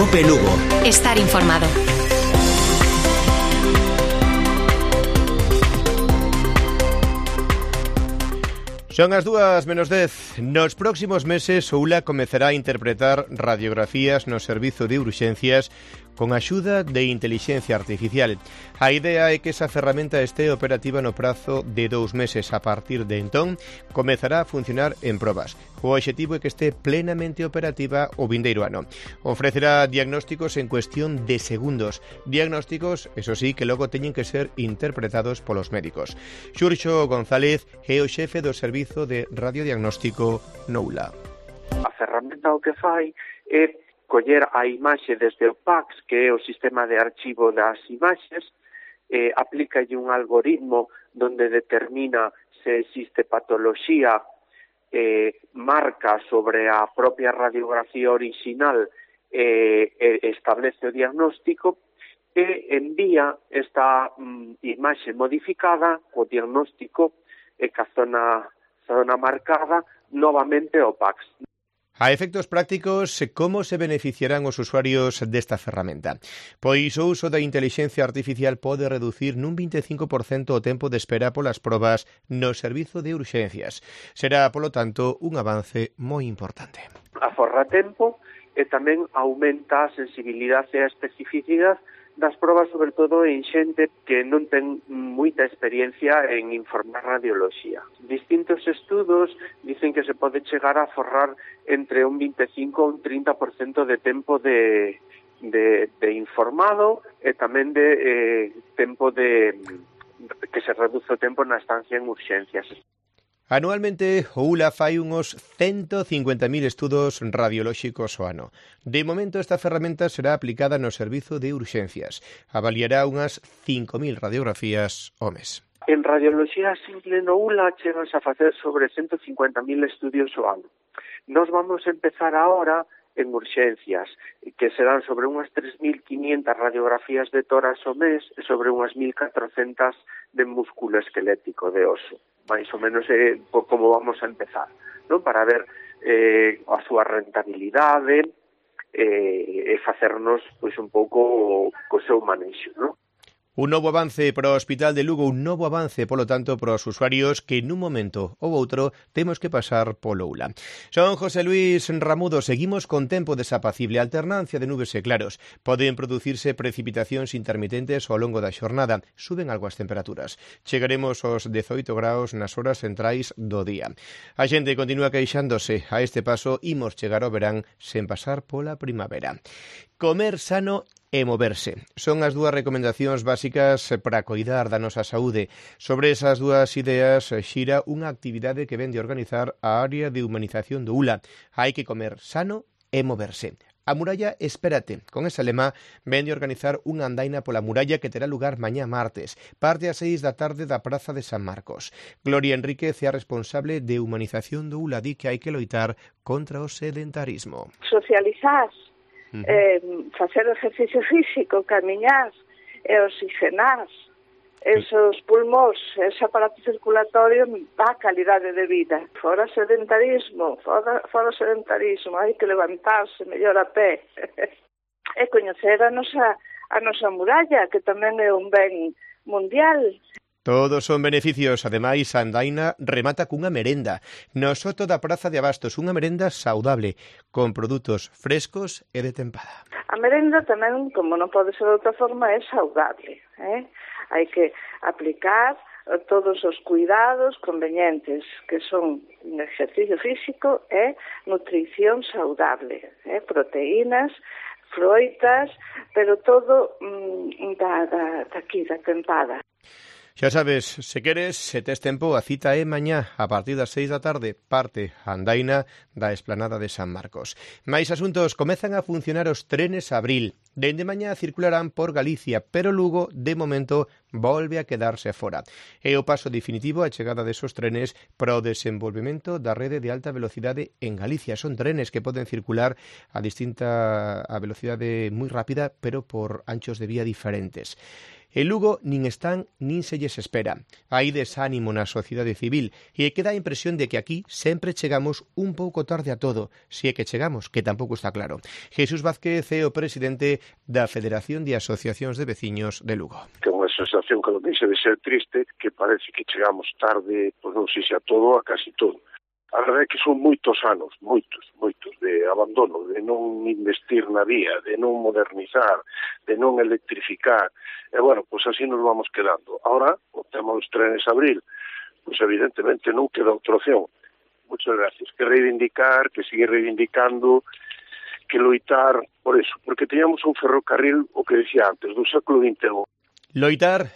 Cope Lugo. Estar informado. Son as 2:10. Nos próximos meses, Oula comezará a interpretar radiografías no servizo de urxencias con axuda de inteligencia artificial. A idea é que esa ferramenta este operativa no prazo de 2 meses. A partir de entón, comezará a funcionar en probas. O obxectivo é que este plenamente operativa o vindeiro ano. Ofrecerá diagnósticos en cuestión de segundos. Diagnósticos, eso sí, que logo teñen que ser interpretados polos médicos. Xurxo González é o xefe do servizo de radiodiagnóstico Noula. A ferramenta o que fai é coller a imaxe desde o PACS, que é o sistema de archivo das imaxes, aplícalle un algoritmo donde determina se existe patoloxía, marca sobre a propia radiografía original, establece o diagnóstico e envía esta imaxe modificada co diagnóstico e ca zona marcada novamente ao PACS. A efectos prácticos, como se beneficiarán os usuarios desta ferramenta? Pois o uso da inteligencia artificial pode reducir nun 25% o tempo de espera polas probas no servizo de urxencias. Será, polo tanto, un avance moi importante. Aforra tempo e tamén aumenta a sensibilidade e a especificidade das probas, sobre todo en xente que non ten moita experiencia en informar radioloxía. Distintos estudos dicen que se pode chegar a aforrar entre un 25 ou un 30% de tempo de informado e tamén de tempo de que se reduce o tempo na estancia en urxencias. Anualmente, o ULA fai uns 150.000 estudos radiolóxicos ao ano. De momento, esta ferramenta será aplicada no servizo de urxencias. Avaliará unhas 5.000 radiografías ao mes. En radioloxía simple no ULA cheganse a facer sobre 150.000 estudios ao ano. Nos vamos a empezar ahora en urxencias, que serán sobre unhas 3.500 radiografías de tórax ao mes e sobre unhas 1.400 de músculo esquelético de oso. Mais ou menos como vamos a empezar, non? Para ver a súa rentabilidade e facernos pois un pouco co seu manexo, non? Un novo avance para o Hospital de Lugo, un novo avance, polo tanto, para os usuarios que nun momento ou outro temos que pasar polo ULA. Son José Luis Ramudo, seguimos con tempo desapacible, alternancia de nubes e claros. Poden producirse precipitacións intermitentes ao longo da xornada, suben algo as temperaturas. Chegaremos aos 18 graus nas horas centrais do día. A xente continúa queixándose, a este paso imos chegar ao verán sen pasar pola primavera. Comer sano e moverse. Son as dúas recomendacións básicas para coidar da nosa saúde. Sobre esas dúas ideas xira unha actividade que vende a organizar a área de humanización do ULA. Hai que comer sano e moverse. A Muralla Espérate, con ese lema, vende a organizar unha andaina pola muralla que terá lugar mañá martes. Parte ás 6 da tarde da Praza de San Marcos. Gloria Enríquez é a responsable de humanización do ULA, di que hai que loitar contra o sedentarismo. Socializar, facer exercicio físico, camiñar e oxigenar esos pulmóns, ese aparato circulatorio dá calidade de vida. Fora sedentarismo, hai que levantarse mellor a pé e coñecer a nosa muralla, que tamén é un ben mundial. Todos son beneficios. Ademais, a andaina remata cunha merenda no soto da Praza de Abastos, unha merenda saudable, con produtos frescos e de tempada. A merenda tamén, como non pode ser de outra forma, é saudable. Hai que aplicar todos os cuidados convenientes, que son exercicio físico e nutrición saudable, proteínas, froitas, pero todo daqui, da tempada. Xa sabes, se queres, se tes tempo, a cita é mañá, a partir das 6 da tarde, parte a andaina da Esplanada de San Marcos. Mais asuntos, comezan a funcionar os trenes abril. Dende mañá circularán por Galicia, pero Lugo, de momento, volve a quedarse fora. É o paso definitivo a chegada desos trenes para o desenvolvemento da rede de alta velocidade en Galicia. Son trenes que poden circular a velocidade moi rápida, pero por anchos de vía diferentes. En Lugo nin están nin se lles espera. Hai desánimo na sociedade civil e queda a impresión de que aquí sempre chegamos un pouco tarde a todo, se é que chegamos, que tampouco está claro. Jesús Vázquez é o presidente da Federación de Asociacións de Veciños de Lugo. Que é unha sensación que non deixa de ser triste, que parece que chegamos tarde, pois non sei se a todo, a casi todo. A verdade é que son moitos anos, moitos, de abandono, de non investir na vía, de non modernizar, de non electrificar. E, bueno, pois así nos vamos quedando. Ahora, o tema dos trenes abril, pois evidentemente non queda outra opción. Muchas gracias. Que reivindicar, que seguir reivindicando, que loitar por eso. Porque teníamos un ferrocarril, o que decía antes, do século XXI. Loitar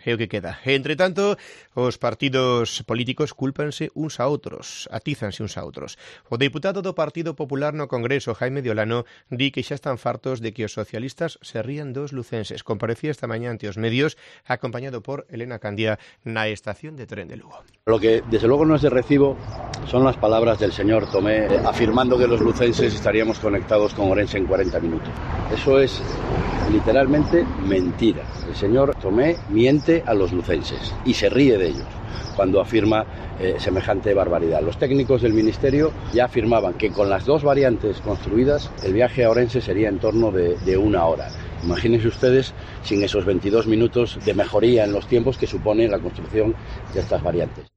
é o que queda. Entre tanto, os partidos políticos cúlpanse uns a outros, atízanse uns a outros. O deputado do Partido Popular no Congreso, Jaime de Olano, di que xa están fartos de que os socialistas se rían dos lucenses. Comparecía esta mañá ante os medios, acompañado por Elena Candia, na estación de tren de Lugo. Lo que desde luego no es de recibo son las palabras del señor Tomé afirmando que los lucenses estaríamos conectados con Orense en 40 minutos. Eso es literalmente mentira. El señor Tomé miente a los lucenses y se ríe de ellos cuando afirma semejante barbaridad. Los técnicos del Ministerio ya afirmaban que con las dos variantes construidas el viaje a Orense sería en torno de 1 hora. Imagínense ustedes sin esos 22 minutos de mejoría en los tiempos que supone la construcción de estas variantes.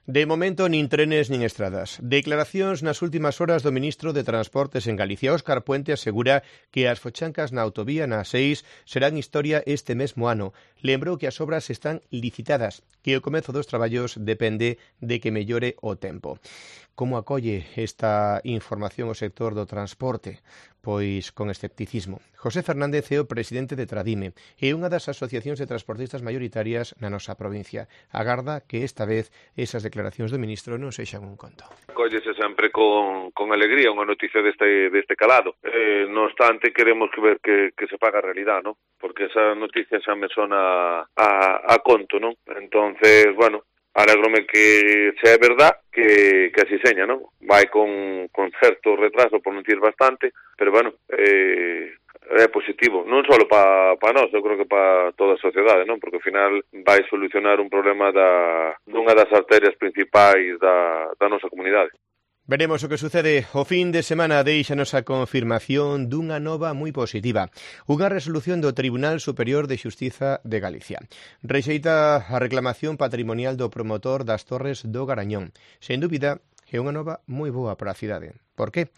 De momento, nin trenes nin estradas. Declaracións nas últimas horas do ministro de Transportes en Galicia. Óscar Puente asegura que as fochancas na autovía na A6 serán historia este mesmo ano. Lembrou que as obras están licitadas, que o comezo dos traballos depende de que mellore o tempo. Como acolle esta información o sector do transporte? Pois con escepticismo. José Fernández é o presidente de Tradime e unha das asociacións de transportistas maioritarias na nosa provincia. Agarda que esta vez esas declaracións do ministro non sexan un conto. Cóllese sempre con alegría unha noticia deste calado. No obstante, queremos ver que se paga a realidad, ¿no? Porque esa noticia xa me sona a conto, ¿no? Entonces, bueno, alégrome que sea verdad, que así seña, ¿no? Vai con certo retraso, por non dicir bastante, pero bueno, é positivo, non só para nós, eu creo que para toda a sociedade, non? Porque ao final vai solucionar un problema dunha das arterias principais da nosa comunidade. Veremos o que sucede. O fin de semana deixanos a confirmación dunha nova moi positiva. Unha resolución do Tribunal Superior de Xustiza de Galicia. Rexeita a reclamación patrimonial do promotor das Torres do Garañón. Sen dúbida, é unha nova moi boa para a cidade. Por qué?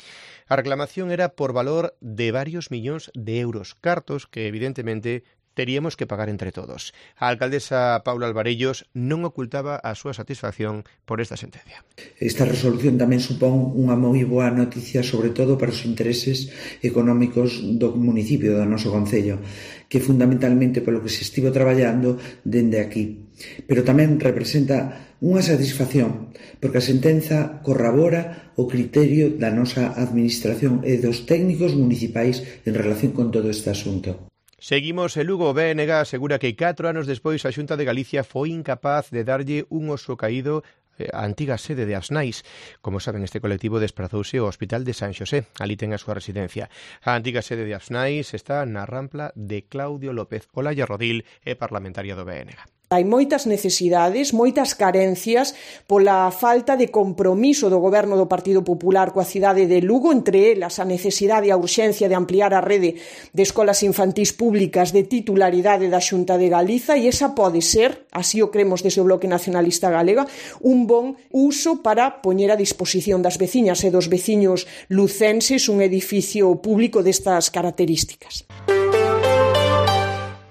A reclamación era por valor de varios millóns de euros, cartos que evidentemente teríamos que pagar entre todos. A alcaldesa Paula Alvarellos non ocultaba a súa satisfacción por esta sentencia. Esta resolución tamén supón unha moi boa noticia, sobre todo para os intereses económicos do municipio, do noso concello, que fundamentalmente polo que se estivo traballando dende aquí. Pero tamén representa unha satisfacción, porque a sentenza corrobora o criterio da nosa administración e dos técnicos municipais en relación con todo este asunto. Seguimos en Lugo. O BNG asegura que 4 anos despois a Xunta de Galicia foi incapaz de darlle un oso caído á antiga sede de Asnais. Como saben, este colectivo desprazouse ao Hospital de San Xosé. Ali ten a súa residencia. A antiga sede de Asnais está na rampla de Claudio López. Olaya Rodil é parlamentaria do BNG. Hai moitas necesidades, moitas carencias pola falta de compromiso do goberno do Partido Popular coa cidade de Lugo, entre elas a necesidade e a urxencia de ampliar a rede de escolas infantís públicas de titularidade da Xunta de Galiza, e esa pode ser, así o cremos desde o Bloque Nacionalista Galega, un bon uso para poñer a disposición das veciñas e dos veciños lucenses un edificio público destas características.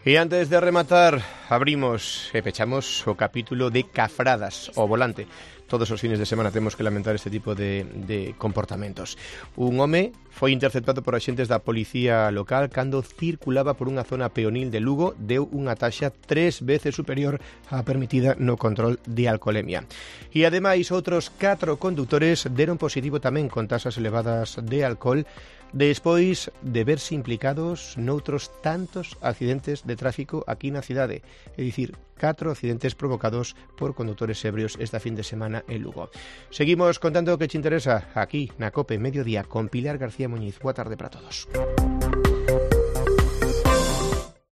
E antes de rematar, abrimos e pechamos o capítulo de Cafradas ao volante. Todos os fines de semana temos que lamentar este tipo de comportamentos. Un home foi interceptado por axentes da policía local cando circulaba por unha zona peonil de Lugo, deu unha taxa 3 veces superior á permitida no control de alcoholemia. E ademais outros 4 condutores deron positivo tamén con taxas elevadas de alcohol, despois de verse implicados noutros tantos accidentes de tráfico aquí na cidade. É dicir, 4 accidentes provocados por condutores ebrios esta fin de semana en Lugo. Seguimos contando o que te interesa aquí na COPE Mediodía con Pilar García Muñiz. Boa tarde para todos.